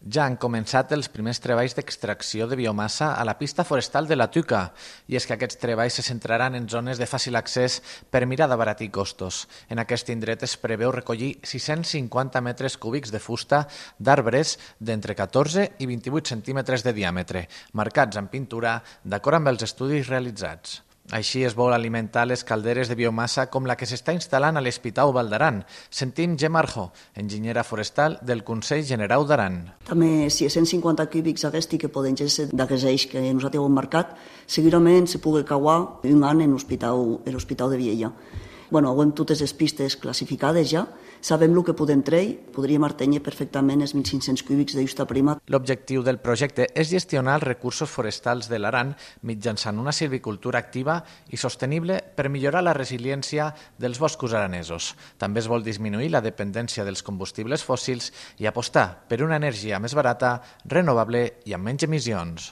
Ja han començat els primers treballs d'extracció de biomassa a la pista forestal de la Tuca, i és que aquests treballs se centraran en zones de fàcil accés per mirar d'abaratir costos. En aquest indret es preveu recollir 650 metres cúbics de fusta d'arbres d'entre 14 i 28 centímetres de diàmetre, marcats en pintura d'acord amb els estudis realitzats. Així es vol alimentar les calderes de biomassa com la que s'està instal·lant a l'Espitau Val d'Aran. Sentim Gemma Arjo, enginyera forestal del Consell Generau d'Aran. També si 150 cúbics d'aquesti que poden ser d'aquests eix que nosaltres hem marcat, segurament se pugui cauar un any en l'Hospital de Viella. Hem totes les pistes classificades ja, sabem el que podem treure, podríem artenyer perfectament els 1.500 cúbics de justa prima. L'objectiu del projecte és gestionar els recursos forestals de l'Aran mitjançant una silvicultura activa i sostenible per millorar la resiliència dels boscos aranesos. També es vol disminuir la dependència dels combustibles fòssils i apostar per una energia més barata, renovable i amb menys emissions.